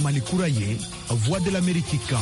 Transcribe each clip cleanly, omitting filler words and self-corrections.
Mali kura ye, Voix de l'Amérique kan.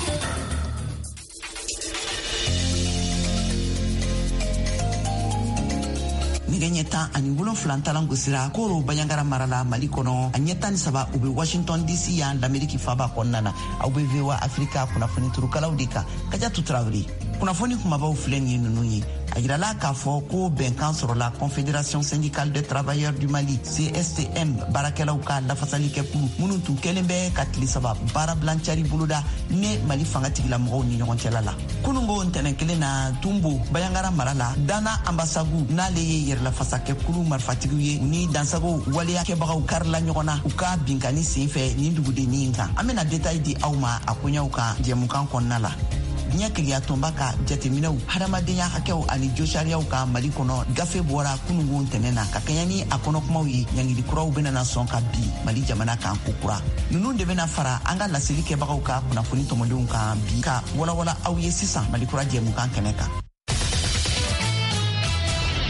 Nɛgɛ ɲɛ 17 talan gosira Koro, Banjagara mara la, Mali kɔnɔ. A ɲɛ 13, u be Washington DC yan, Lameriki faba kɔnɔna na. Aw be VOA Afrika kunnafoni turukalaw de kan. Kajatu Tarawele. Kunnafoni kumabaw filɛ nin ye ninnu ye. A yirala k'a fɔ ko bɛnkan sɔrɔla Confédération syndicale des travailleurs du Mali, CSTM, baarakɛlaw ka lafasalikɛkulu minnu tun kɛlen bɛ ka tile 3 baarabilancari boloda ne Mali fanga tigilamɔgɔw ni ɲɔgɔn cɛla la. Kunungo ntɛnɛn kelen na, Tumbo, Bayangara mara la, Dana Ambasagu n'ale ye yɛrɛlafasakɛkulu marifatigiw ye, u ni dansago waleya kɛbagaw karila ɲɔgɔn na u ka binkani sen fɛ nin dugudennin kan. An bena détail di aw ma a koɲɛw kan jɛmukan kɔnɔna la. Diɲɛ kelenya tɔnba ka jateminɛw hadamadenya hakɛw ani josariyaw ka Mali kɔnɔ gafe bɔra kunungo ntɛnɛn na ka kɛɲɛ ni a kɔnɔkumaw ye. Ɲangili kuraw benana sɔn ka bi Mali jamana kan kokura. Nunu de bena fara an ka laseli kɛbagaw ka kunnafoni tɔmɔdenw kan bi ka walawala aw ye sisan Mali kura jɛmukan kɛnɛ kan.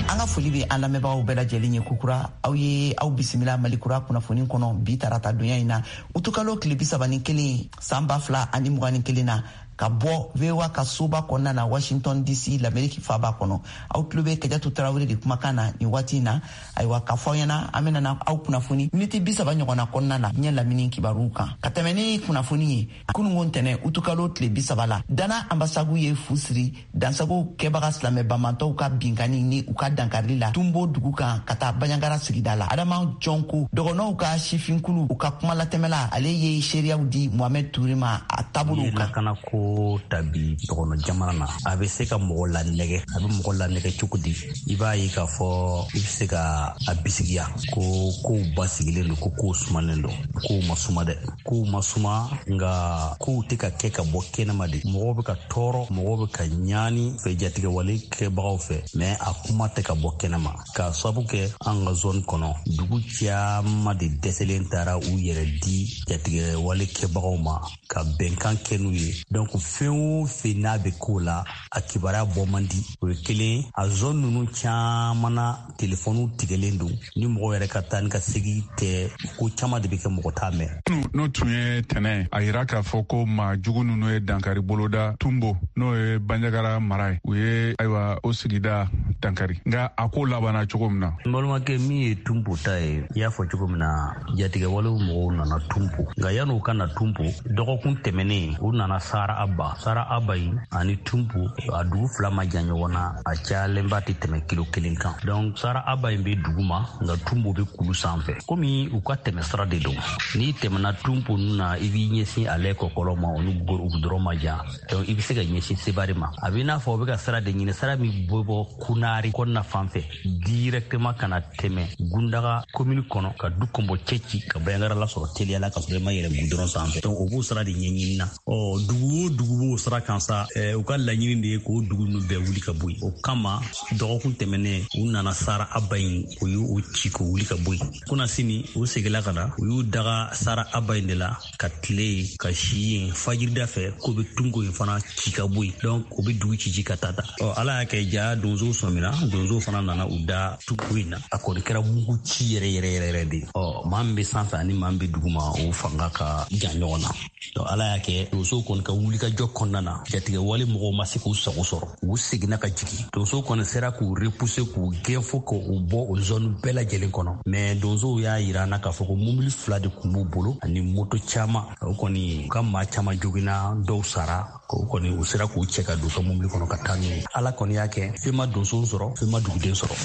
An ka foli bɛ an lamɛnbagaw bɛɛ lajɛlen ye kokura. Aw ye aw bisimila Mali kura kunnafoni kɔnɔ bi tarata donya in na, utukalo tile 31, san 2021 na, ka bɔ VOA ka soba kɔnɔna na, Washington DC, Lameriki faba kɔnɔ. Aw tulo bɛ Kajatu Tarawele de kumakan na nin waati in na. Ayiwa, k'a fɔ aw ɲɛna, an bɛna aw kunnafoni miniti 30 ɲɔgɔnna kɔnɔna na diɲɛ lamini kibaruw kan. Ka tɛmɛ ni kunnafoni ye, kunungo ntɛnɛ, utukalo tile 30 la, Dana Ambasagu ye fu siri dansago kɛbaga silamɛ banbantɔw ka binkani ni u ka dankarili la Tumbo dugu kan ka taa Banjagara sigida la. Adama Jɔnko, dɔgɔnɔw ka sifinkulu, u ka kumalatɛmɛla, ale ye seereyaw di Mohamɛd Ture ma a taabolow kan. Lakana ko ta bi dɔgɔnɔ jamana na, a bɛ se ka mɔgɔ lanɛgɛ. A bɛ mɔgɔ lanɛgɛ cogo di? I b'a ye k'a fɔ i bɛ se ka a bisigiya ko kow basigilen don, ko kow sumanen don. Kow ma suma dɛ, kow ma suma, nka kow tɛ ka kɛ ka bɔ kɛnɛma de. Mɔgɔw bɛ ka tɔɔrɔ, mɔgɔw bɛ ka ɲaani fɛ jatigɛwale kɛbagaw fɛ, mais a kuma tɛ ka bɔ kɛnɛma, k'a sabu kɛ an ka zone kɔnɔ, dugu caman de dɛsɛlen taara u yɛrɛ di jatigɛwale kɛbagaw ma ka bɛnkan kɛ n'u ye. Donc fɛn o fɛn n'a bɛ k'o la, a kibaruya bɔ man di. O ye kelen. A zone ninnu caman na, telefɔniw tigɛlen don. Ni mɔgɔ yɛrɛ ka taa ni ka segi tɛ, ko caman de bɛ kɛ, mɔgɔ t'a mɛn. N'o tun ye tɛnɛ, a yira k'a fɔ ko maa jugu ninnu ye dankari boloda Tumbo, n'o ye Banjagara mara ye. U ye, ayiwa, o sigida dankari, nka a ko labanna cogo min na. N balimakɛ, min ye Tumbo ta ye, i y'a fɔ cogo min na, jatigɛwalew mɔgɔw nana Tumbo, nka yan'u ka na Tumbo, dɔgɔkun tɛmɛnen u nana Sara Aba. Sara Aba in ani Tumbo, a dugu fila ma jan ɲɔgɔn na, a cayalenba tɛ tɛmɛ kilo 1 kan. Donc Sara Aba in bɛ dugu ma, nka Tumbo bɛ kulu sanfɛ. Komi u ka tɛmɛ sira de don, n'i tɛmɛna Tumbo ninnu na, i b'i ɲɛsin ale kɔkɔlɔ ma, o ni gudɔrɔn ma jan. Donc i bɛ se ka ɲɛsin Sebari ma. A b'i n'a fɔ u bɛ ka sira de ɲini, sira min bɛ bɔ Kunari kɔnɔna fan fɛ directement ka na tɛmɛ Gundaga commune kɔnɔ, ka du kɔnbɔ cɛ ci ka Banjagara lasɔrɔ teliya la, ka sɔrɔ i ma yɛlɛ gudɔrɔn sanfɛ. Donc o b'o sira de ɲɛɲini na. Ɔ, dugu o dugu b'o sira kan sa, u ka laɲini de ye k'o dugu ninnu bɛɛ wuli ka bɔ yen. O kama dɔgɔkun tɛmɛnen u nana Sara Aba in, u y'o ci k'o wuli ka bɔ yen. Kunasini u seginna ka na, u y'u daga Sara Aba in de la ka tile yen, ka si yen. Fajirida fɛ k'u bɛ Tungo in fana ci ka bɔ yen. Donc u bɛ dugu ci ci ka taa ta. Ɔ, Ala y'a kɛ ja donsow sɔmina, donsow fana nana u da Tungo in na. A kɔni kɛra mugu ci yɛrɛ yɛrɛ yɛrɛ yɛrɛ de. Ɔ, maa min bɛ sanfɛ ani maa min bɛ dugu ma, o fanga ka jan ɲɔgɔn na. Donc Ala y'a kɛ donsow kɔni ka wulikajɔ kɔnɔna na, jatigɛwale mɔgɔw ma se k'u sago sɔrɔ, u seginna ka jigin. Donsow kɔni sera k'u repousser, k'u gɛn fo k'u bɔ o zone bɛɛ lajɛlen kɔnɔ. Mais donsow y'a yira an na k'a fɔ ko mobili 2 de tun b'u bolo ani moto caman. O kɔni, u ka maa caman joginna, dɔw sara. O kɔni, u sera k'u cɛ ka don u ka mobili kɔnɔ ka taa n'u ye. Ala kɔni y'a kɛ fɛn ma donsow sɔrɔ, fɛn ma duguden sɔrɔ.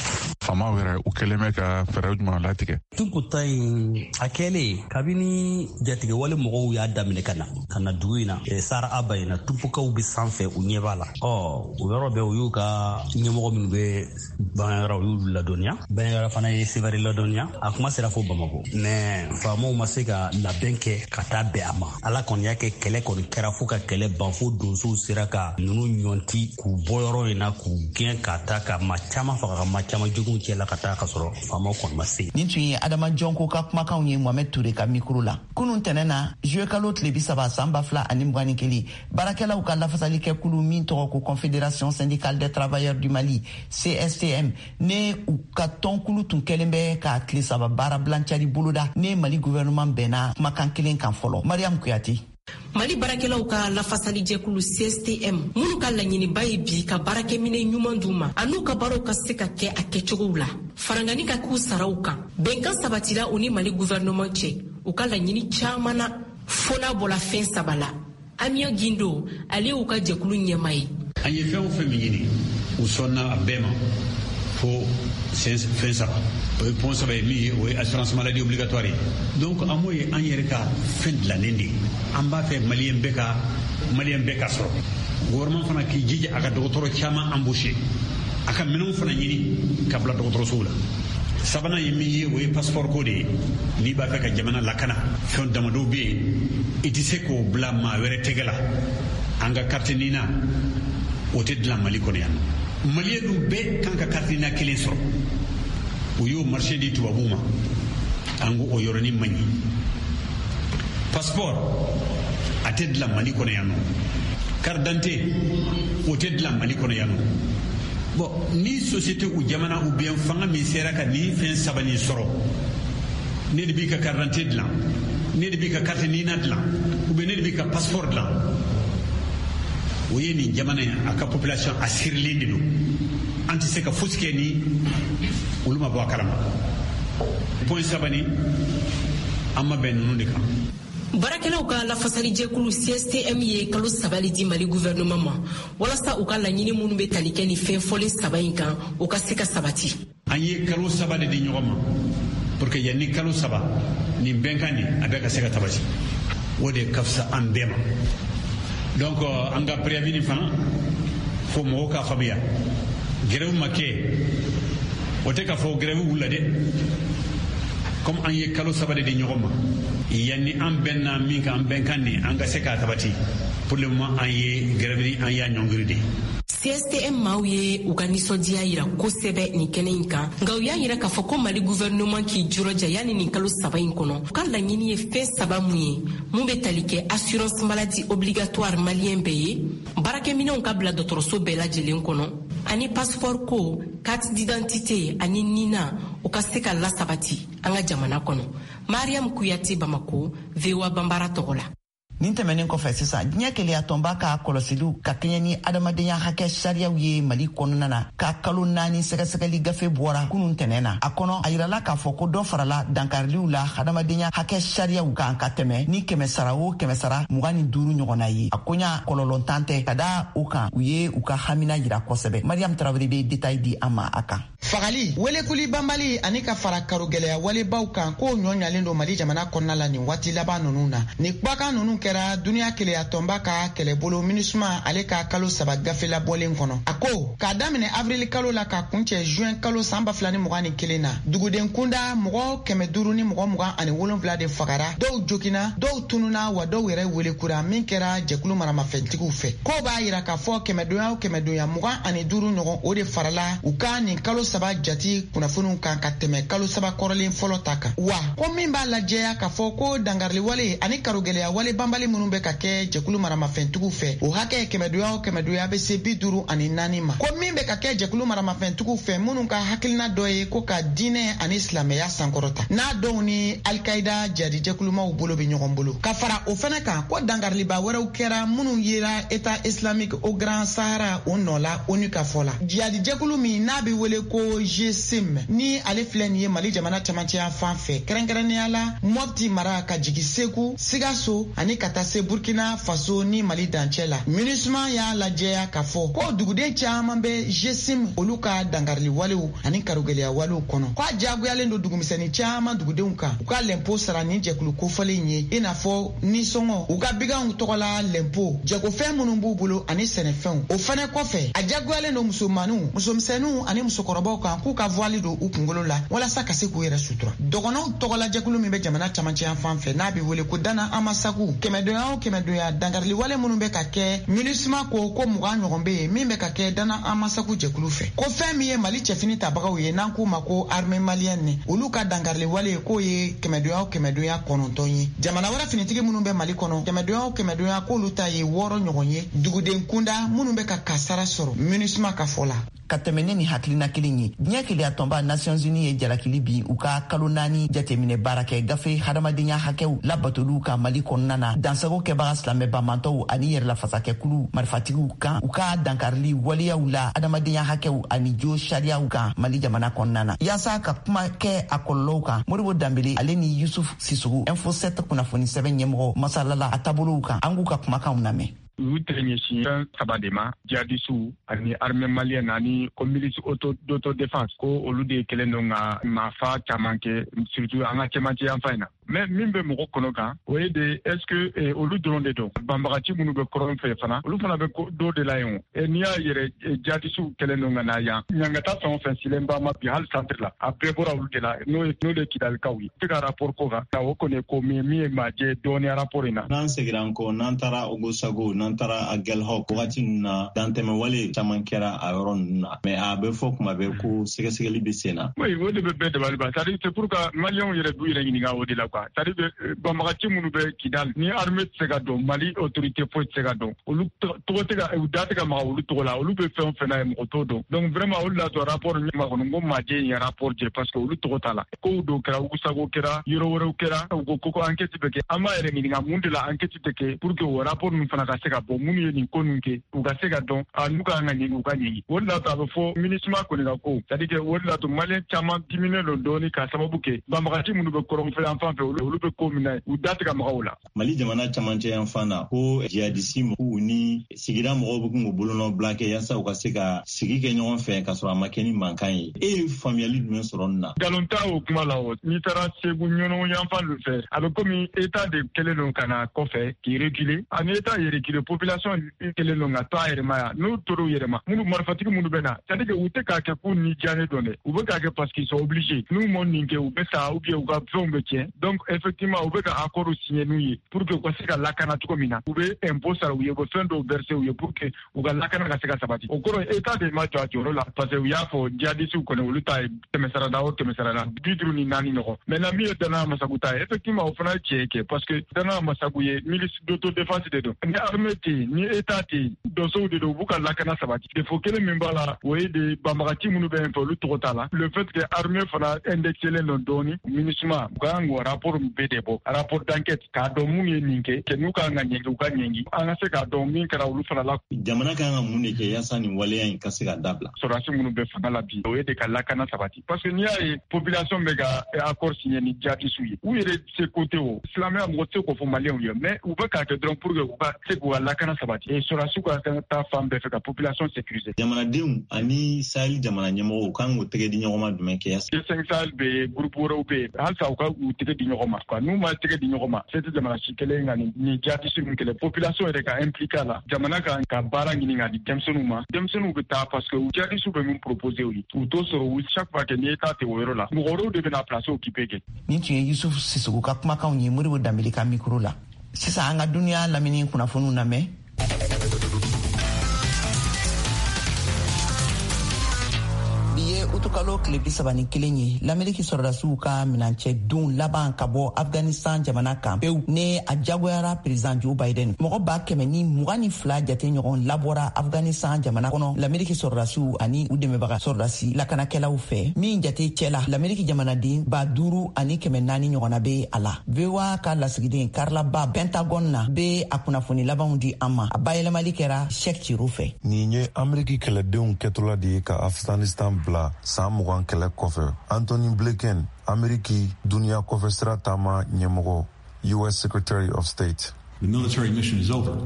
Faamaw yɛrɛ, u kɛlen bɛ ka fɛɛrɛ jumɛn latigɛ? Tunko ta in, a kɛlen kabini jatigɛwale mɔgɔw y'a daminɛ ka na dugu in na, Sara Aba in na, Tunpokaw bɛ sanfɛ, u ɲɛ b'a la. Ɔ, o yɔrɔ bɛɛ, u y'u ka ɲɛmɔgɔ minnu bɛ Banjagara, u y'olu ladɔnniya. Banjagara fana ye Sevare ladɔnniya. A kuma sera fo Bamako, mais faamaw ma se ka labɛn kɛ ka taa bɛn a ma. Ala kɔni y'a kɛ kɛlɛ kɔni kɛra fo ka kɛlɛ ban, fo donsow sera ka ninnu ɲɔnti k'u bɔ yɔrɔ in na, k'u gɛn ka taa. ka maa caman faga, ka maa caman joginw cɛ la ka taa, ka sɔrɔ faamaw kɔni ma se. Nin tun ye Adama Jɔnko ka kumakanw ye Mohamed Toure ka mikro la. Kunun tɛnɛ na, juillet kalo tile 30 san 2021, baarakɛlaw ka lafasalikɛkulu min tɔgɔ ko Confédération syndicale des travailleurs du Mali, CSTM, ne u ka tɔnkulu tun kɛlen bɛ ka tile 3 baara bilancari boloda ne Mali gouvernement bɛnna kumakan kelen kan fɔlɔ. Mariam Kuyate. Mali baarakɛlaw ka lafasalijɛkulu CSTM, minnu ka laɲiniba ye bi ka baarakɛminɛ ɲuman d'u ma an'u ka baaraw ka se ka kɛ a kɛcogow la, farangani ka k'u saraw kan, bɛnkan sabatira u ni Mali gouvernement cɛ u ka laɲini caman na, fo n'a bɔla fɛn 3 la. Amion Gindo, ale y'u ka jɛkulu ɲɛmaa ye. An ye fɛn o fɛn min ɲini, u sɔnna a bɛɛ ma fo fɛn 3. O ye point 3 ye min ye, o ye assurance maladie obligatoire ye. Donc an m'o ye an yɛrɛ ka fɛn dilannen de ye. An b'a fɛ maliyɛn bɛɛ ka sɔrɔ. Gouvernement fana k'i jija a ka dɔgɔtɔrɔ caman embaucher, a ka minɛnw fana ɲini ka bila dɔgɔtɔrɔsow la. Sabanan ye min ye, o ye passeport ko de ye. N'i b'a fɛ ka jamana lakana, fɛn damadɔw bɛ yen, i tɛ se k'o bila maa wɛrɛ tɛgɛ la. An ka carte NINA, o tɛ dilan Mali kɔnɔ yan. Maliyɛn dun bɛɛ kan ka carte NINA kelen sɔrɔ. U y'o marché di tubabuw ma, an ko o yɔrɔnin man ɲi. Passeport a tɛ dilan Mali kɔnɔ yan nɔ. Carte d'identité o tɛ dilan Mali kɔnɔ yan nɔ. Bon, ni société ou jamana ou bien fanga min sera ka nin fɛn 3 nin sɔrɔ, ne de b'i ka carte d'identité dilan, ne de b'i ka carte NINA dilan, ou bien ne de b'i ka passeport dilan, o ye nin jamana in a ka population a sirilen de don. An tɛ se ka fosi kɛ ni olu ma bɔ a kalama. Point 3 nin, an ma bɛn ninnu de kan. Baarakɛlaw ka lafasalijɛkulu CSTM ye kalo 3 le di Mali gouvernement ma walasa u ka laɲini minnu bɛ tali kɛ ni fɛn fɔlen 3 in kan, u ka se ka sabati. An ye kalo 3 de di ɲɔgɔn ma pour que yanni kalo 3 nin bɛnkan nin a bɛɛ ka se ka sabati. O de ka fisa an bɛɛ ma. Donc an ka préavis nin fana fo mɔgɔw k'a faamuya, grève ma kɛ, o tɛ k'a fɔ grève wulila dɛ. Comme an ye kalo 3 de di ɲɔgɔn ma, yanni an bɛnna min kan, an bɛnkan nin an ka se k'a sabati. Pour le moment an ye grève ni an y'a ɲɔngiri de. CSTM maaw ye u ka nisɔndiya yira kosɛbɛ nin kɛnɛ in kan, nka u y'a yira k'a fɔ ko Mali gouvernement k'i jurɔja yanni nin kalo 3 in kɔnɔ, u ka laɲini ye fɛn 3 mun ye, mun bɛ tali kɛ assurance maladie obligatoire maliyɛn bɛɛ ye, baarakɛminɛnw ka bila dɔgɔtɔrɔso bɛɛ lajɛlen kɔnɔ, ani passeport ko, carte d'identité ani NINA, u ka se ka lasabati an ka jamana kɔnɔ. Mariam Kuyate, Bamako, VOA Banbara tɔgɔ la. Nin tɛmɛnen kɔfɛ sisan, diɲɛ keleyatɔnba ka kɔlɔsiliw ka kɛɲɛ ni adamadenya hakɛ sariyaw ye Mali kɔnɔna na ka kalo 4 sɛgɛsɛgɛli gafe bɔra kunun tɛnɛ na. A kɔnɔ, a yirala k'a fɔ ko dɔ farala dankariliw la adamadenya hakɛ sariyaw kan ka tɛmɛ ni 100 o 125 ɲɔgɔnna ye. A koɲa kɔlɔlɔntan tɛ ka da o kan, u ye u ka hamina yira kosɛbɛ. Mariam Tarawele bɛ détail di an ma a kan. Fagali, welekuli banbali ani ka fara karogɛlɛya walebaw kan, k'o ɲɔ ɲalen don Mali jamana kɔnɔna la nin waati laban ninnu na. Nin kumakan ninnu kɛra duniya keleyatɔnba ka kɛlɛbolo MINUSMA ale ka kalo 3 gafe labɔlen kɔnɔ. A ko k'a daminɛ avril kalo la ka kuncɛ juin kalo san 2021 na, duguden kunda mɔgɔ 527 de fagara, dɔw jogina, dɔw tununa, wa dɔw yɛrɛ welekura min kɛra jɛkulu maramafɛntigiw fɛ. K'o b'a yira k'a fɔ kɛmɛdonya o kɛmɛdonya 25 ɲɔgɔn o de farala u ka nin kalo 3 jati kunnafoniw kan ka tɛmɛ kalo 3 kɔrɔlen fɔlɔ ta kan. Wa ko min b'a lajɛya k'a fɔ ko dangariliwale ani karogɛlɛya wale banbali minnu bɛ ka kɛ jɛkulu maramafɛntigiw fɛ, o hakɛ kɛmɛdonya o kɛmɛdonya bɛ se 54 ma. Ko min bɛ ka kɛ jɛkulu maramafɛntigiw fɛ minnu ka hakilina dɔ ye ko ka diinɛ ani silamɛya sankɔrɔta, n'a dɔw ni Alikaida jadijɛkulumaw bolo bɛ ɲɔgɔn bolo. Ka fara o fɛnɛ kan, ko dangariliba wɛrɛw kɛra minnu yera État islamique au Grand Sahara o nɔ la ONU ka fɔ la. Jadijɛkulu min n'a bɛ wele ko GSIM, ni ale filɛ nin ye Mali jamana camancɛya fan fɛ, kɛrɛnkɛrɛnnenya la Mopti mara ka jigin Segu, Sikaso ani ka taa se Burkina Faso ni Mali dancɛ la. MINUSMA y'a lajɛya k'a fɔ ko duguden caman bɛ GSIM olu ka dangarili walew ani karogɛlɛya walew kɔnɔ. K'a diyagoyalen don dugumisɛnnin caman dugudenw kan u ka lɛnpo sara nin jɛkulu kofɔlen ye, i n'a fɔ nisɔngɔ, u ka biganw tɔgɔla lɛnpo, jagofɛn minnu b'u bolo ani sɛnɛfɛnw. O fɛnɛ kɔfɛ, a diyagoyalen don musomaninw, musomisɛnninw ani musokɔrɔbaw kan k'u ka voile don u kunkolo la walasa ka se k'u yɛrɛ sutura. Dɔgɔnɔw tɔgɔla jɛkulu min bɛ jamana camancɛ yan fan fɛ n'a bɛ wele ko Dana Amasagu, 500 Kɛmɛdonya o kɛmɛdonya, dankariliwale minnu bɛ ka kɛ, MINUSMA ko ko 20 ɲɔgɔn bɛ yen min bɛ ka kɛ Dana Amasagu jɛkulu fɛ. Ko fɛn min ye Mali cɛfini tabagaw ye, n'an k'u ma ko armée malienne, olu ka dankariliwale k'o ye kɛmɛdonya o kɛmɛdonya 9 ye. Jamana wɛrɛ finitigi minnu bɛ Mali kɔnɔ, kɛmɛdonya o kɛmɛdonya, k'olu ta ye 6 ɲɔgɔn ye, duguden kunda minnu bɛ ka kasara sɔrɔ, MINUSMA ka fɔ la. Ka tɛmɛ ne ni hakilina kelen ye, diɲɛ kelenya tɔnba Nations Unies ye jalakili bin u ka kalo 4 jateminɛ baara kɛ gafe hadamadenya hakɛw labatoliw ka Mali kɔnɔna na, dansago kɛbaga silamɛ banbantɔw ani yɛrɛlafasakɛkulu marifatigiw kan, u ka dankarili waleyaw la adamadenya hakɛw ani jo sariyaw kan Mali jamana kɔnɔna na. Yaasa ka kuma kɛ a kɔlɔlɔw kan, Modibo Danbele ale ni Yusuf Sissogo, Info 7 kunnafoni sɛbɛn ɲɛmɔgɔ, masalala a taabolow kan. An k'u ka kumakanw lamɛn. U y'u tɛgɛ ɲɛsin fɛn saba de ma: jihadisiw ani armée malienne ani ko milice auto d'autodéfense, ko olu de kɛlen don ka maafa caman kɛ, surtout an ka cɛmancɛ yanfan in na. Mais min bɛ mɔgɔ kɔnɔ kan, o ye de, est ce que olu dɔrɔn de don? Banbagaci minnu bɛ kɔrɔn fɛ fana, olu fana bɛ dɔ de la yen o. N'i y'a yɛrɛ, jihadisiw kɛlen don ka na yan, ɲangata fɛn o fɛn silen b'a ma bi, hali centre la, a bɛɛ bɔra olu de la, n'o ye n'o de Kidalikaw ye. Tɛ ka rapport ko kan, o kɔni ye ko min ye maa jɛ dɔɔni rapport in na. N'an segira an kɔ, n'an taara Ogosago, n'an taara Aguelhok, wagati ninnu na, dantɛmɛ wale caman kɛra a yɔrɔ ninnu na, mais a bɛ fɔ kuma bɛɛ ko sɛgɛsɛgɛli bɛ sen na. Oui, o de bɛ bɛɛ dabali ban. C'est à dire, c'est pour que maliyɛnw yɛrɛ b'u yɛrɛ ɲininka o de la, quoi. C'est à dire que banbagaci minnu bɛ Kidal, ni armée tɛ se ka don, Mali autorité foyi tɛ se ka don, olu tɔgɔ tɛ ka, u da tɛ ka maga olu tɔgɔ la, olu bɛ fɛn o fɛn na ye, mɔgɔ t'o dɔn. Donc vraiment, olu la to rapport ɲɛma kɔnɔ, n ko majɛ in ye rapport jɛ, parce que olu tɔgɔ t'a la. Kow dɔw kɛra, Ogosago kɛra, yɔrɔ wɛrɛw kɛra, u ko ko enquête bɛ kɛ. An b'a yɛrɛ ɲininka mun de la enquête tɛ kɛ pour que o rapport ninnu fana ka se ka bɔ, minnu ye nin ko ninnu kɛ, u ka se ka dɔn, a n'u ka kan ka ɲɛgi, u ka ɲɛgi. O de la to a bɛ fɔ MINUSMA kɔni ka ko, c'est à dire que o de la to maliyɛn caman diminen don dɔɔni, k'a sababu kɛ banbagaci minnu bɛ kɔrɔnfɛ yan fan fɛ, olu bɛ ko min na, u da tɛ ka maga o la. Mali jamana camancɛ yan fan na, ko jihadisi mɔgɔw ni sigida mɔgɔw bɛ kun k'u bolonɔ bila kɛ yaasa u ka se ka sigi kɛ ɲɔgɔn fɛ k'a sɔrɔ a ma kɛ ni mankan ye. E ye faamuyali jumɛn sɔrɔ nin na? Nkalon t'a o kuma la. O n'i taara Segu, Ɲɔnɔ yanfan dɔ fɛ, a bɛ komi état de kɛlen don ka na kɔfɛ k'i reculer. Ani état ye reculer, population kɛlen don ka to a yɛrɛ ma yan. N'u tor'u yɛrɛ ma, minnu marifatigi minnu bɛ na, c'est à dire que u tɛ k'a kɛ k'u ni diyanen don dɛ, u bɛ k'a kɛ parce qu'ils sont obligés. N'u ma nin kɛ, u bɛ sa ou bien u ka fɛnw bɛ tiɲɛ. Donc effectivement, u bɛ ka accord signer n'u ye pour que u ka se ka lakana cogo min na. U bɛ impôt sara u ye, u bɛ fɛn dɔw verser u ye pour que u ka lakana ka se ka sabati. O kɔrɔ, état de ma jɔ a jɔyɔrɔ la, parce que u y'a fɔ jihadisiw kɔni, olu ta ye kɛmɛ sarada o kɛmɛ sarada 54 ɲɔgɔn. Maintenant, min ye Dana Masagu ta ye, effectivement, o fana ye tiɲɛ kɛ, parce que Dana Masagu ye milice d'autodéfense de don. Ni armée tɛ yen, ni état tɛ yen, donsow de don, u b'u ka lakana sabati. Défaut kelen min b'a la, o ye de banbagaci minnu bɛ yen fɛ, olu tɔgɔ t'a la. Le fait que armée fana indexelen don dɔɔni, MINUSMA u ka kan k'o rapport bɛɛ de bɔ, rapport d'enquête, k'a dɔn mun ye nin kɛ, n'u ka kan ka ɲɛngi, u ka ɲɛngi, an ka se k'a dɔn min kɛra olu fana la. Jamana kan ka mun de kɛ yaasa nin waleya in ka se ka dabila? Sɔrɔdasi minnu bɛ fanga la bi, o ye de ka lakana sabati, parce que n'i y'a ye population bɛ ka accord signer ni jihadisiw ye, u yɛrɛ se ko tɛ o silamɛya, mɔgɔ tɛ se k'o fɔ maliyɛnw ye, mais u bɛ k'a kɛ dɔrɔn pour que u ka se k'u ka lakana sabati et sɔrɔdasiw ka taa fan bɛɛ fɛ ka population sécuriser. Jamanadenw ani Sahel jamana ɲɛmɔgɔw kan k'u tɛgɛ di ɲɔgɔn ma jumɛn kɛ? G5 Sahel bɛ yen, groupe wɛrɛw bɛ yen, halisa u ka u tɛgɛ di ɲɔgɔn ma, quoi. N'u ma tɛgɛ di ɲɔgɔn ma, se tɛ jamana si kelen ka nin jihadisi ninnu kɛlɛ. Population yɛrɛ ka impliqué a la. Jamana ka baara ɲini ka di denmisɛnninw ma. Denmisɛnninw bɛ taa parce que jihadisiw bɛ min proposer u ye, u t'o sɔrɔ. U chaque fois que ni état tɛ o yɔrɔ la, mɔgɔ wɛrɛw de bɛna place occuper kɛ. Nin tun ye Yusuf Sissogo ka kumakanw ye Modibo Danbele ka micro la. Sisan, an ka duniya lamini kunnafoniw lamɛn. Bi ye utukalo tile 31 ye, Lameriki sɔrɔdasiw ka minancɛ don laban ka bɔ Afghanistan jamana kan pewu, ne a jagoyara président Joe Biden. Mɔgɔ 122 jate ɲɔgɔn labɔra Afghanistan jamana kɔnɔ Lameriki sɔrɔdasiw ani u dɛmɛbaga sɔrɔdasi lakanakɛlaw fɛ, min jate cɛ la, Lameriki jamanaden 5400 ɲɔgɔnna be a la. VOA ka lasigiden Carla Babb Pentagone na be a kunnafoni labanw di an ma. A bayɛlɛmali kɛra Cheick Tiro fɛ. Nin ye Ameriki kɛlɛdenw kɛtɔla de ye ka Afghanistan bila san 20 kɛlɛ kɔfɛ. Antony Blinken, Ameriki duniya kɔfɛ sira taama ɲɛmɔgɔ, US Secretary of State. The military mission is over.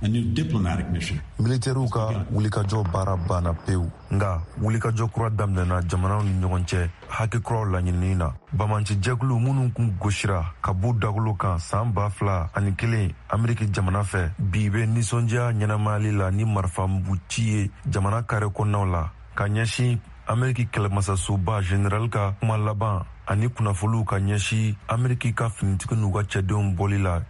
A new diplomatic mission. Militɛriw ka wulikajɔ baara banna pewu, nka wulikajɔ kura daminɛna jamanaw ni ɲɔgɔn cɛ hakɛ kuraw laɲinini na. Bamanci jɛkulu minnu kun gosira ka b'u dagolo kan san 2001 Ameriki jamana fɛ, bi bɛ nisɔndiya ɲɛnamayali la ni marifamuguci ye jamana kare kɔnɔnaw la ka ɲɛsin Ameriki kɛlɛmasasoba general ka kuma laban ani kunnafoliw ka ɲɛsin Ameriki ka finitigi n'u ka cɛdenw bɔli la.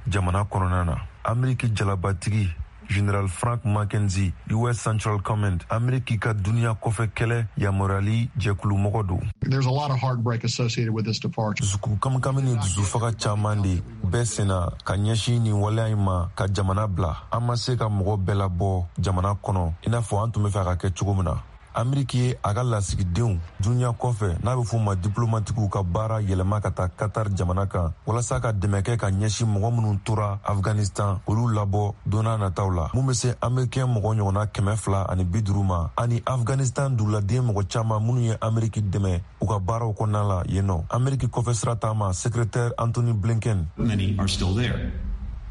jamana kɔnɔna na. Ameriki jalabatigi General Frank McKenzie, US Central Command, Ameriki ka duniya kɔfɛ kɛlɛ yamaruyali jɛkulu mɔgɔ don. There's a lot of heartbreak associated with this departure. Dusukun kamikami ni dusufaga caman de bɛ senna ka ɲɛsin nin waleya in ma ka jamana bila. An ma se ka mɔgɔ bɛɛ labɔ jamana kɔnɔ i n'a fɔ an tun bɛ fɛ a ka kɛ cogo min na. Ameriki ye a ka lasigidenw duniya kɔfɛ, n'a bɛ f'o ma diplomatikiw, ka baara yɛlɛma ka taa Qatar jamana kan walasa ka dɛmɛ kɛ ka ɲɛsin mɔgɔ minnu tora Afghanistan, olu labɔ don n'a nataw la, mun bɛ se amerikɛn mɔgɔ ɲɔgɔnna 250 ma, ani Afghanistan duguladen mɔgɔ caman minnu ye Ameriki dɛmɛ u ka baaraw kɔnɔna la yen nɔ. Ameriki kɔfɛ sira taama secrétaire Antony Blinken. Many are still there.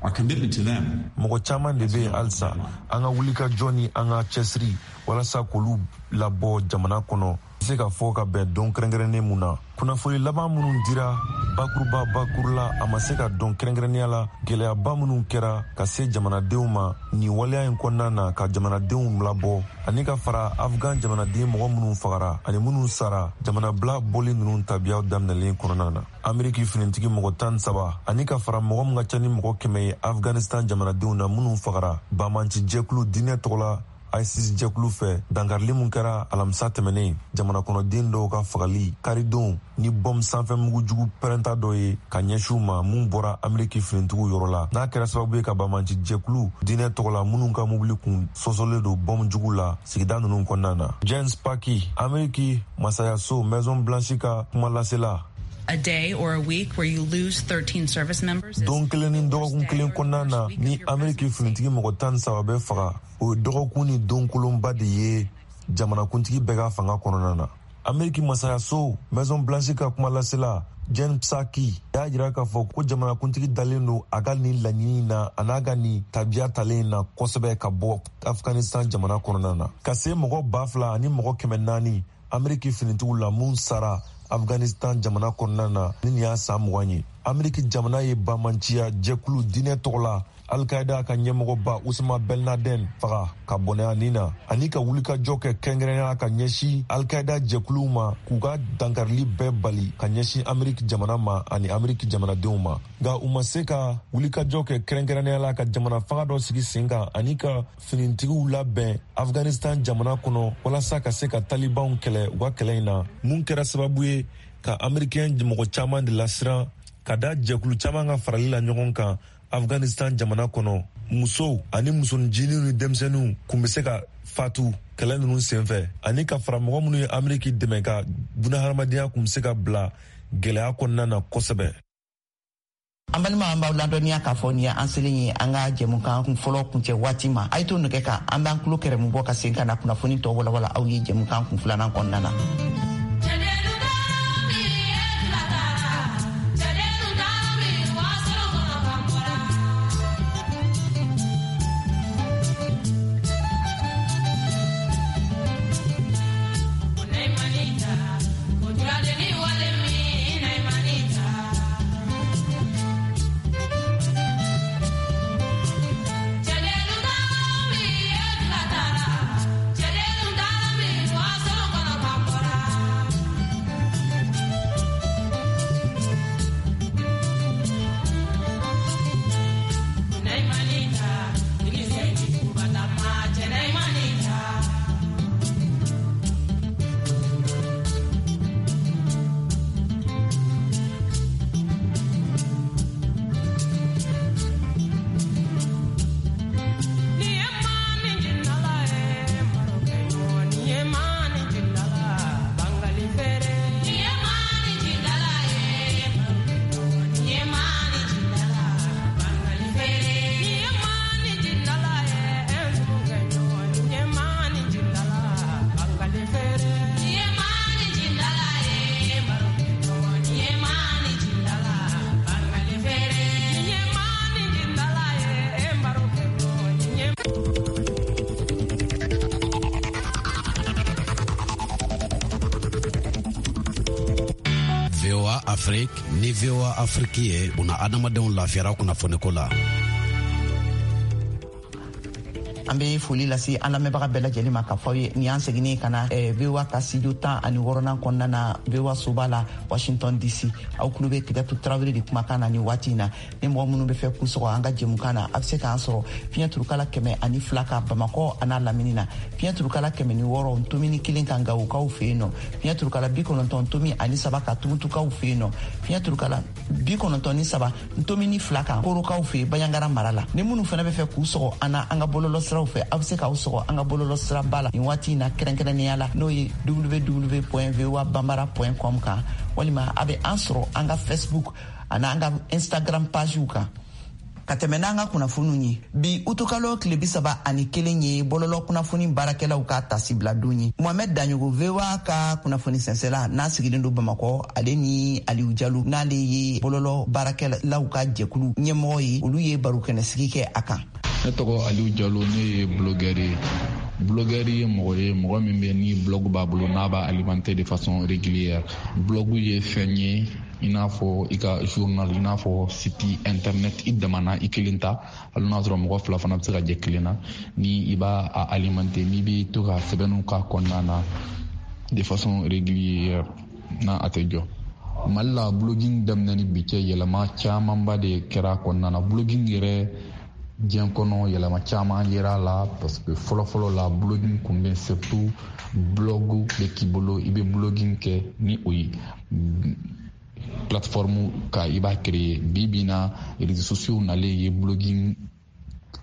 Our commitment to them. Mɔgɔ caman de bɛ yen halisa. An ka wulikajɔ ni an ka cɛsiri walasa k'olu labɔ jamana kɔnɔ se ka fɔ ka bɛn don kɛrɛnkɛrɛnnen mun na. Kunnafoni laban minnu dira bakuruba bakuru la, a ma se ka dɔn kɛrɛnkɛrɛnnenya la gɛlɛyaba minnu kɛra ka se jamanadenw ma nin waleya in kɔnɔna na ka jamanadenw labɔ, ani ka fara Afgan jamanaden mɔgɔ minnu fagara ani minnu sara jamanabila bɔli ninnu tabiyaw daminɛlen kɔnɔna na. Ameriki finitigi mɔgɔ 13, ani ka fara mɔgɔ min ka ca ni mɔgɔ 100 ye Afganistan jamanadenw na minnu fagara banbanci jɛkulu diinɛ tɔgɔ la ISIS jɛkulu fɛ, dankarili mun kɛra alamisa tɛmɛnen, jamana kɔnɔden dɔw ka fagali karidon ni bɔm sanfɛ mugujugu pɛrɛnta dɔ ye ka ɲɛsin u ma mun bɔra Ameriki finitigiw yɔrɔ la, n'a kɛra sababu ye ka banbanci jɛkulu diinɛ tɔgɔ la minnu ka mobili kun sɔsɔlen don bɔm jugu la sigida ninnu kɔnɔna na. Jen Psaki, Ameriki masayaso Maison Blanche ka kumalasela. A day or a week where you lose 13 service members. Don kelen ni dɔgɔkun kelen kɔnɔna na ni Ameriki finitigi mɔgɔ 13 bɛ faga, o ye dɔgɔkun ni don kolonba de ye jamanakuntigi bɛɛ ka fanga kɔnɔna na. Ameriki masayaso Maison Blanche ka kumalasela Jen Psaki y'a jira k'a fɔ ko jamanakuntigi dalen don a ka nin laɲini na, a n'a ka nin tabiya talen na kosɛbɛ ka bɔ Afghanistan jamana kɔnɔna na, ka se mɔgɔ 2400 Ameriki finitigiw la mun sara Afghanistan jamana kɔnɔna na ni nin y'a san 20 ye. Ameriki jamana ye banbanciya jɛkulu diinɛ tɔgɔ la Al-Qaeda ka ɲɛmɔgɔba Usama Ben Laden faga ka bɔnɛ a nin na, ani ka wulikajɔ kɛ kɛrɛnkɛrɛnnenya ka ɲɛsin Al-Qaeda jɛkuluw ma k'u ka dankarili bɛɛ bali ka ɲɛsin Ameriki jamana ma ani Ameriki jamanadenw ma. Nka u ma se ka wulikajɔ kɛ kɛrɛnkɛrɛnnenya la ka jamana fanga dɔ sigi sen kan ani ka finitigiw labɛn Afghanistan jamana kɔnɔ walasa ka se ka talibanw kɛlɛ u ka kɛlɛ in na, mun kɛra sababu ye ka amerikɛn mɔgɔ caman de lasiran ka da jɛkulu caman ka farali la ɲɔgɔn kan Afghanistan jamana kɔnɔ. Musow ani musoninjiniw ni denmisɛnninw kun bɛ se ka fatu kɛlɛ ninnu senfɛ, ani ka fara mɔgɔ minnu ye Ameriki dɛmɛ ka bunahadamadenya kun bɛ se ka bila gɛlɛya kɔnɔna na kosɛbɛ. An balima, an b'aw ladɔnniya k'a fɔ nin ye an selen ye an ka jɛmukan kun fɔlɔ kuncɛ waati ma. A ye to nɛgɛ kan, an b'an tulo kɛrɛmu bɔ ka sen ka na kunnafoni tɔ walawala aw ye jɛmukan kun filanan kɔnɔna na. VOA Afrique ni VOA Afrique ye buna adamadenw lafiyara kunnafoniko la. An bɛ foli lase an lamɛnbaga bɛɛ lajɛlen ma k'a fɔ aw ye nin y'an seginnen ka na VOA ka studio 16nan kɔnɔna na, VOA soba la, Washington DC. Aw tulo bɛ Kajatu Tarawele de kumakan na nin waati in na. Ni mɔgɔ minnu bɛ fɛ k'u sɔgɔ an ka jɛmukan na, a bɛ se k'an sɔrɔ fiɲɛ turukala 102 kan Bamakɔ a n'a lamini na, fiɲɛ turukala 106.1 kan Gawokaw fɛ yen nɔ, fiɲɛ turukala 90.3 kan Tumutukaw fɛ yen nɔ, fiɲɛ turukala 93.2 kan Korokaw fɛ Banjagara mara la. Ni minnu fana bɛ fɛ k'u sɔgɔ an na an ka bɔlɔlɔsiraw fɛ, aw bɛ se k'aw sɔgɔ an ka bɔlɔlɔsiraba la nin waati in na, kɛrɛnkɛrɛnnenya la n'o ye www.voabambara.com kan, walima a bɛ an sɔrɔ an ka Facebook ani an ka Instagram pagew kan. Ka tɛmɛ n'an ka kunnafoniw ye, bi utukalo tile 31 ye bɔlɔlɔ kunnafoni baarakɛlaw ka tasibila don ye. Mohamɛd Daɲogo, VOA ka kunnafoni sɛnsɛla n'a sigilen don Bamakɔ, ale ni Aliyu Jalo, n'ale ye bɔlɔlɔ baarakɛlaw ka jɛkulu ɲɛmɔgɔ ye, olu ye barokɛnɛsigi kɛ a kan. Ne tɔgɔ Aliyu Jalo, ne ye blogueur ye. Blogueur ye mɔgɔ ye, mɔgɔ min bɛ ni blog b'a bolo, n'a b'a alimenter de façon régulière. Blog ye fɛn ye i n'a fɔ i ka journal, i n'a fɔ site internet i damana i kelen ta, hali n'a sɔrɔ mɔgɔ fila fana bɛ se ka jɛ kelen na. Ni i b'a alimenter, n'i bɛ to ka sɛbɛnniw k'a kɔnɔna na de façon régulière, n'a a tɛ jɔ. Mali la, blogging daminɛ ni bi cɛ, yɛlɛma camanba de kɛra a kɔnɔna na. Blogging yɛrɛ, diɲɛ kɔnɔ, yɛlɛma caman yera a la, parce que fɔlɔfɔlɔ la, blogging kun bɛ surtout blog bɛ k'i bolo, i bɛ blogging kɛ ni o ye plateforme ka i b'a créer. Bi bi na, réseaux sociaux nalen ye blogging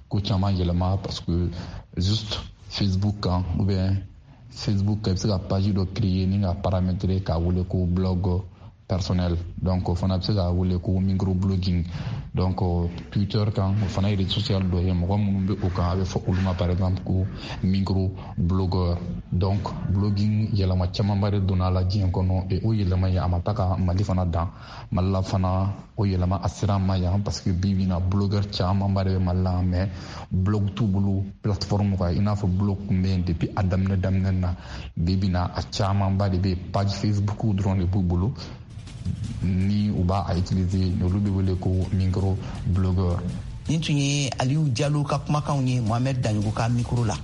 ko caman yɛlɛma, parce que juste Facebook kan ou bien Facebook kan, i bɛ se ka page dɔ créer ni ka paramétrer k'a wele ko blog personnel. Donc o fana bɛ se k'a wele ko micro blogging. Donc Twitter kan, o fana ye réseau social dɔ ye, mɔgɔ minnu bɛ o kan, a bɛ fɔ olu ma par exemple ko micro blogueur. Donc blogging, yɛlɛma camanba de donna a la diɲɛ kɔnɔ, et o yɛlɛma ye a ma taa ka Mali fana dan. Mali la fana, o yɛlɛma a sera an ma yan, parce que bi bi in na, blogueur camanba de bɛ Mali la, mais blog t'u bolo plateforme kan i n'a fɔ blog tun bɛ yen depuis a daminɛ daminɛ na. Bi bi in na, a camanba de bɛ yen, page Facebook dɔrɔn de b'u bolo ni u b'a a utiliser, olu bɛ wele ko micro blogueur. Nin tun ye Aliyu Jalo ka kumakanw ye Mohamɛd Daɲogo ka mikoro la.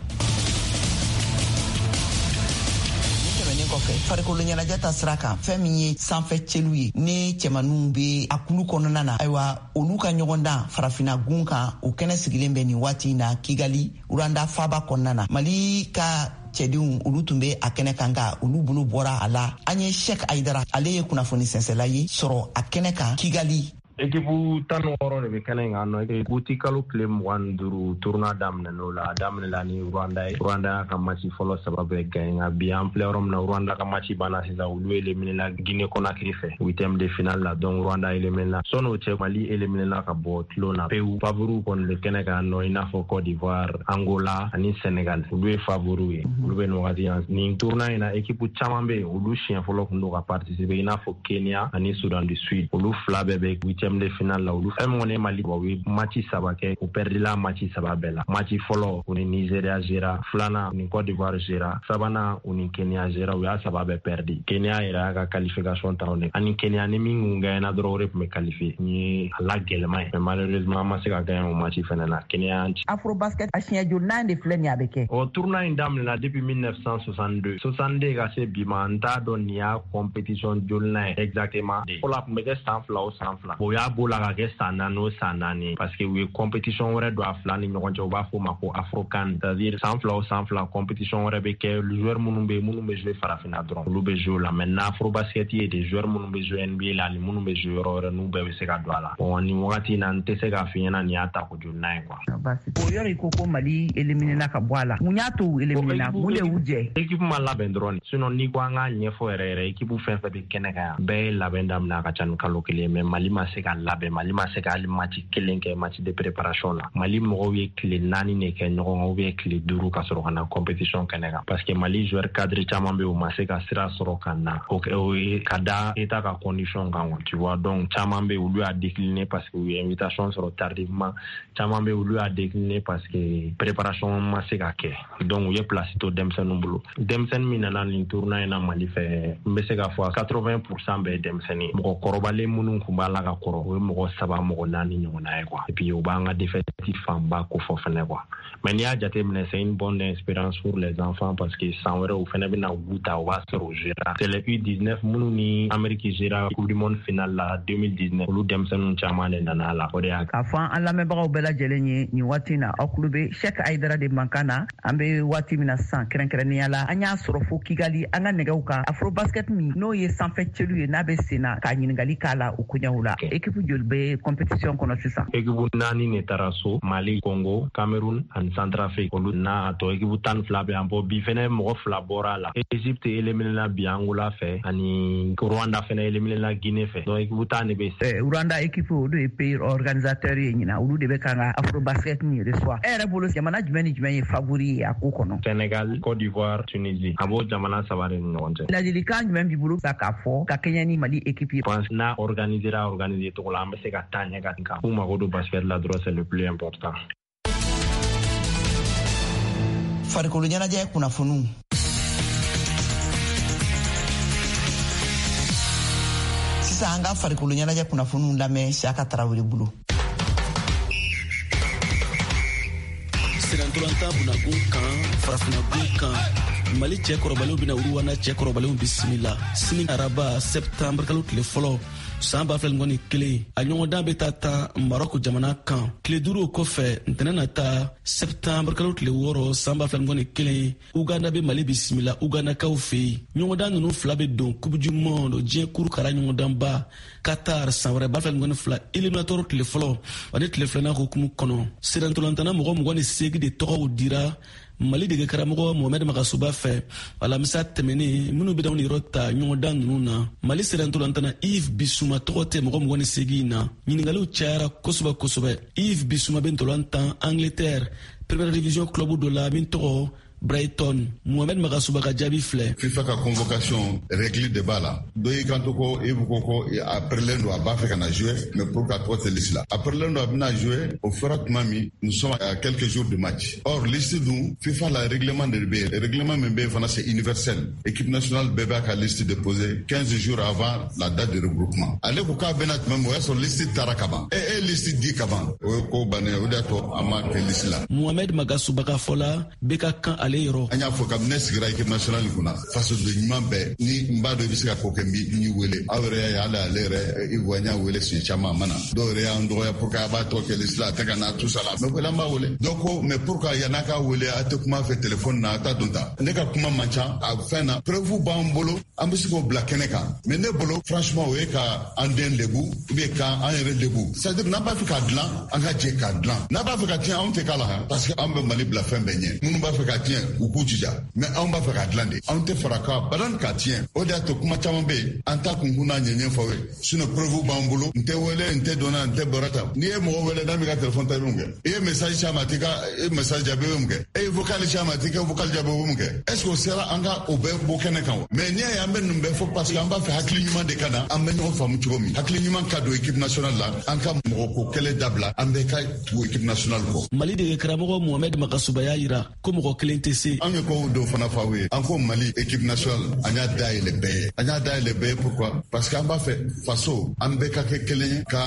Kɔfɛ, farikolo ɲɛnajɛ ta sira kan, fɛn min ye sanfɛ celu ye ni cɛmaninw be a kulu kɔnɔna na, ayiwa, olu ka ɲɔgɔndan Farafina gun kan, o kɛnɛ sigilen bɛ nin waati na Kigali, Rwanda faba kɔnɔna na. Mali ka cɛdenw, olu tun bɛ a kɛnɛ kan, nka olu bolo bɔra a la. An ye Shek Ayidara, ale ye kunnafoni sɛnsɛla ye, sɔrɔ a kɛnɛ kan Kigali. Ekipu 16 de bɛ kɛnɛ in kan nɔ. Uti kalo tile 25, tournoi daminɛn'o la. A daminɛla ni Rwanda ye. Rwanda y'a ka match fɔlɔ saba bɛɛ gagné, nka bi an filɛ yɔrɔ min na, Rwanda ka match banna sisan. Olu éliminé la Guinée Conakry fɛ huitième de finale la. Donc Rwanda éliminé la. Sɔn'o cɛ, Mali éliminé la ka bɔ tulon na pewu. Favoriw kɔni bɛ kɛnɛ kan nɔ, i n'a fɔ Côte d'Ivoire, Angola ani Sénégal, olu ye favoriw ye. Olu bɛ nin wagati yan. Nin tournoi in na, équipe caman bɛ yen, olu siɲɛ fɔlɔ kun don ka participer, i n'a fɔ Kenya ani Soudan du Sud, olu fila bɛɛ bɛ huitième de finale la. Olu fɛn min kɔni ye Mali, u ye match saba kɛ, u perdila match saba bɛɛ la. Match fɔlɔ, u ni Nigeria gera, filanan, u ni Côte d'Ivoire gera, sabanan, u ni Kenya gera. U y'a saba bɛɛ perdi. Kenya yɛrɛ y'a ka qualification ta o de ani Kenya ni min kun gagné dɔrɔn, o de tun bɛ qualifié. Nin ye a la gɛlɛman ye, mais malheureusement an ma se ka gagné o match fɛnɛ na. Kenya y'an ci. Afrobasket, a siɲɛ joli de filɛ nin ye a bɛ kɛ? O tournoi in daminɛna depuis 1962, 62 ka se bi ma. N t'a dɔn nin y'a compétition jolina ye exactement. Fɔlɔ, a tun bɛ kɛ san 2 o san 2. O y'a b'o la ka kɛ san 4 o san 4, parce que u ye compétition wɛrɛ don a fila ni ɲɔgɔn cɛ, u b'a fɔ o ma ko Afrocan, c'est à dire san 2 o san 2, compétition wɛrɛ bɛ kɛ. Joueur minnu bɛ yen, minnu bɛ jouer farafinna dɔrɔn, olu bɛ jouer o la. Maintenant, Afrobasket ye des joueurs minnu bɛ jouer NBA la ani minnu bɛ jouer yɔrɔ wɛrɛ, n'u bɛɛ bɛ se ka don a la. Bon, nin wagati in na, n tɛ se k'a f'i ɲɛna nin y'a ta ko jolina ye quoi. O yɔrɔ, i ko ko Mali éliminé na ka bɔ a la, mun y'a to u éliminé na? Mun de y'u jɛ? Équipe ma labɛn dɔrɔn. Sinon, n'i ko an k'a ɲɛfɔ yɛrɛ yɛrɛ, équipe fɛn fɛn bɛ kɛnɛ kan yan, bɛɛ ye labɛn daminɛ a ka ca ni kalo 1, mais Mali ma se ka labɛn. Mali ma se ka hali match kelen kɛ match de préparation la. Mali mɔgɔw ye tile 4 de kɛ ɲɔgɔn kan ou bien tile 5 ka sɔrɔ ka na compétition kɛnɛ kan, parce que Mali joueur cadre caman bɛ yen, u ma se ka sira sɔrɔ ka na. O ye ka da état ka condition kan quoi, tu vois. Donc caman bɛ yen, olu y'a décliné parce que u ye invitation sɔrɔ tardivement. Caman bɛ yen, olu y'a décliné parce que préparation ma se ka kɛ. Donc u ye place to denmisɛnninw bolo. Denmisɛnnin min nana nin tournoi in na Mali fɛ, n bɛ se k'a fɔ 80% bɛɛ ye denmisɛnnin. Mɔgɔ kɔrɔbalen minnu tun b'a la ka kɔrɔ. kɔrɔ, o ye mɔgɔ 3 mɔgɔ 4 ɲɔgɔnna ye quoi. Et puis o b'an ka défaite fanba ko fɔ fɛnɛ quoi. Mais n'i y'a jateminɛ, c'est une bonne expérience pour les enfants parce que san wɛrɛ u fɛnɛ bɛna goût ta, o b'a sɔrɔ u gera. C'est les U19 minnu ni Amérique gera Coupe du monde finale la 2019, olu denmisɛnninw caman de nana a la, o de y'a. K'a fɔ an lamɛnbagaw bɛɛ lajɛlen ye nin waati na, aw tulo bɛ Cheikh Aidara de mankan na. An bɛ waati min na sisan, kɛrɛnkɛrɛnnenya la, an y'a sɔrɔ fo Kigali an ka nɛgɛw kan Afrobasket min n'o ye sanfɛ celu ye, n'a bɛ sen na, k'a ɲininkali k'a la o koɲɛw la. Équipe joli bɛ compétition kɔnɔ sisan? Équipe 4 de taara so: Mali, Congo, Cameroun ani Centrafrique. Olu n'a tɔ équipe 12 bɛ yan. Bɔ bi fɛnɛ mɔgɔ 2 bɔra a la. Égypte éliminé la bi Angola fɛ, ani Rwanda fɛnɛ éliminé la Guinée fɛ. Donc équipe 10 de bɛ. Rwanda équipe, olu ye pays organisateur ye ɲinan, olu de bɛ kan ka Afrobasket nin reçoit. E yɛrɛ bolo, jamana jumɛn ni jumɛn ye favori ye a ko kɔnɔ? Sénégal, Côte d'Ivoire, Tunisie. A b'o jamana 3 de ni ɲɔgɔn cɛ. Ladilikan jumɛn b'i bolo sa k'a fɔ ka kɛɲɛ ni Mali équipe ye? Pense n'a organisera organiser cogo la, an bɛ se ka taa ɲɛ ka kan. K'u mago don basket la dɔrɔn, c'est le plus important. Farikolo ɲɛnajɛ kunnafoniw. Sisan an ka farikolo ɲɛnajɛ kunnafoniw lamɛn Siaka Tarawele bolo. Sirantolatan bunagun kan, farafinagun kan, Mali cɛkɔrɔbalenw bɛna Rwanda cɛkɔrɔbalenw bisimila sini araba, septembre kalo tile fɔlɔ, san 2021. A ɲɔgɔndan bɛ taa tan Marɔku jamana kan. Tile 5 o kɔfɛ, ntɛnɛn nata, septembre kalo tile 6, san 2021, Uganda bɛ Mali bisimila Ugandakaw fɛ yen. Ɲɔgɔndan ninnu fila bɛ don Coupe du monde, diɲɛ kuru kara ɲɔgɔndanba Qatar san wɛrɛ 2022, éliminatoire tile fɔlɔ ani tile filanan hukumu kɔnɔ. Sirantolantana mɔgɔ 28 de tɔgɔw dira Mali dege karamɔgɔ Mohamed Magasuba fɛ alamisa tɛmɛnen, minnu bɛ daw yɔrɔ ta ɲɔgɔndan ninnu na. Mali sirantolantana Yves Bissouma tɔgɔ tɛ mɔgɔ 28 na. Ɲininkaliw cayara kosɛbɛ kosɛbɛ. Yves Bissouma bɛ ntolan tan Angleterre Première Division club dɔ la min tɔgɔ Brighton. Mohamed Magasuba ka jaabi filɛ. FIFA ka convocation, règle de b'a la. Dɔ y'i kanto ko Yves ko a pɛrɛlen don, a b'a fɛ ka na jouer, mais pour ka tɔgɔ tɛ liste la. A pɛrɛlen don, a bɛna jouer o fɔra tuma min, nous sommes à quelques jours de match. Or liste dun, FIFA la règlement de bɛ yen. Règlement min bɛ yen fana, c'est universel. Équipe nationale bɛɛ b'a ka liste déposer 15 jours avant la date de regroupement. Ale ko k'a bɛna tuma min, o y'a sɔrɔ liste taara ka ban. E liste di ka ban. O ye ko bannen ye, o de y'a to a ma kɛ liste la. Mohamed Magasuba ka fɔ la, bɛɛ ka kan ale yɔrɔ. An y'a fɔ kabini ne sigira équipe nationale kunna, fasoden ɲuman bɛɛ ni n b'a dɔn i bɛ se ka ko kɛ, n b'i wele. Aw yɛrɛ y'a ye, hali ale yɛrɛ Ivoire, n y'a wele siɲɛ caman, a ma na. Dɔw yɛrɛ y'an dɔgɔya pour que a b'a tɔgɔ kɛ liste la, a tɛ ka na tout ça la. Mais wele, an b'a wele. Dɔw ko mais pourquoi yann'a k'a wele, a tɛ kuma fɛ téléphone na, a t'a dɔn ta. Ne ka kuma man ca a fɛn na. Preuve b'an bolo, an bɛ se k'o bila kɛnɛ kan. Mais ne bolo, franchement, o ye ka an den lebu ou bien k'an yɛrɛ lebu. C'est à dire n'an b'a fɛ k'a dilan, an ka jɛ k'a dilan. N'a b'a fɛ ka tiɲɛ, anw tɛ k'a la, parce que an bɛ Mali bila fɛn bɛɛ ɲɛ. Minnu b'a fɛ ka tiɲɛ, u k'u jija. Mais anw b'a fɛ k'a dilan de. Anw tɛ fara ka balan k'a tiɲɛ. O de y'a to kuma caman bɛ yen, an t'a kunkun n'a ɲɛɲɛ fɔ aw ye. Sinon preuve b'an bolo. N tɛ wele, n tɛ donna, n tɛ bɔra ta. N'i ye mɔgɔ wele, n'a m'i ka téléphone ta, i bɛ mun kɛ? I ye message ci a ma, a t'i ka message jaabi, i bɛ mun kɛ? E ye vocal ci a ma, a t'i ka vocal jaabi, i bɛ mun kɛ? Est ce que o sera an ka o bɛɛ bɔ kɛnɛ kan wa? Mais n'i y'a ye an bɛ ninnu bɛɛ fɔ, parce que an b'a fɛ hakili ɲuman de ka na, an bɛ ɲɔgɔn faamu cogo min. Hakili ɲuman ka don équipe nationale la, an ka mɔgɔ ko kɛlɛ dabila, an bɛɛ ka tugu équipe nationale kɔ. Mali dege karamɔgɔ Mohamed Magasuba y'a yira ko mɔgɔ kelen tɛ se. An ye ko dɔw fana fɔ aw ye. An ko Mali équipe nationale, an y'a dayɛlɛ bɛɛ ye. An y'a dayɛlɛ bɛɛ ye pourquoi? Parce que an b'a fɛ faso, an bɛɛ ka kɛ kelen ye, ka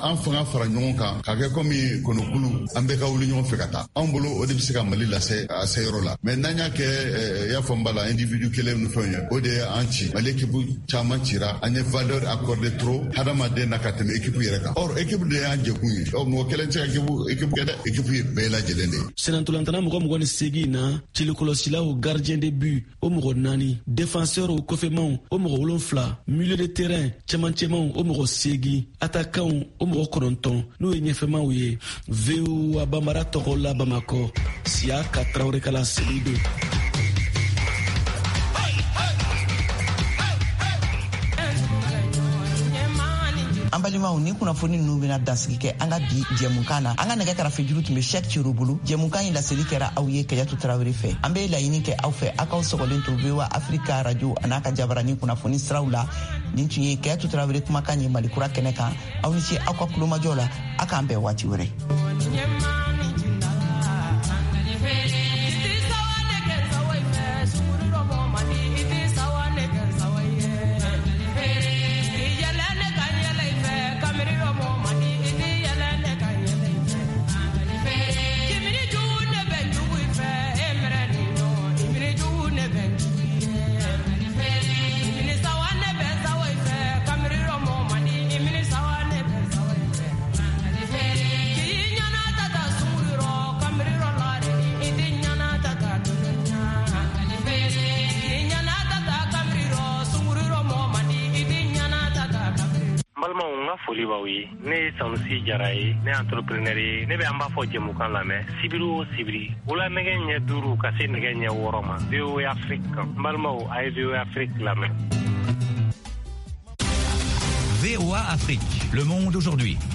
an fanga fara ɲɔgɔn kan, ka kɛ komi kɔnɔkulu, an bɛɛ ka wuli ɲɔgɔn fɛ ka taa. Anw bolo, o de bɛ se ka Mali lase a se yɔrɔ la. Mais n'an y'a kɛ, i y'a fɔ n b'a la, individu kelen ni fɛnw ye, o de ye an ci. Mali équipe caman cira, an ye valeur accordée trop hadamaden na ka tɛmɛ équipe yɛrɛ kan. Or équipe de y'an jɛkun ye. Ɔ mɔgɔ kelen tɛ se ka équipe kɛ dɛ. Équipe ye bɛɛ lajɛlen de ye. Sennantolatan mɔgɔ 28 na, cilikɔlɔsilaw, gardien de but, o mɔgɔ 4, défenseur, o kɔfɛmaw, o mɔgɔ 7, milieu de terrain, cɛmancɛmaw, o mɔgɔ 8, attaquant, o mɔgɔ 9, n'o ye ɲɛfɛmaw ye. VOA Bambara tɔgɔ la Bamakɔ, Siaka Tarawele ka laseli don. An balimaw, ni kunnafoni ninnu bɛna dansigi kɛ an ka bi jɛmukan na. An ka nɛgɛ karafejuru tun bɛ Shɛk Cero bolo. Jɛmukan in laseli kɛra aw ye Kajatu Tarawele fɛ. An bɛ laɲini kɛ aw fɛ, aw k'aw sɔgɔlen to VOA Afrika radio a n'a ka jabarani kunnafoni siraw la. Nin tun ye Kajatu Tarawele kumakan ye Mali kura kɛnɛ kan. Aw ni ce aw ka kulomajɔ la. A k'an bɛn waati wɛrɛ. Foli b'aw ye. Ne ye Sanusi Jara ye, ne entrepreneur ye. Ne bɛ an b'a fɔ jɛmukan lamɛn sibiri o sibiri, wula nɛgɛ ɲɛ 5 ka se nɛgɛ ɲɛ 6 ma, VOA Afrique kan. N balimaw, a ye VOA Afrique lamɛn. VOA Afrique, le monde aujourd'hui.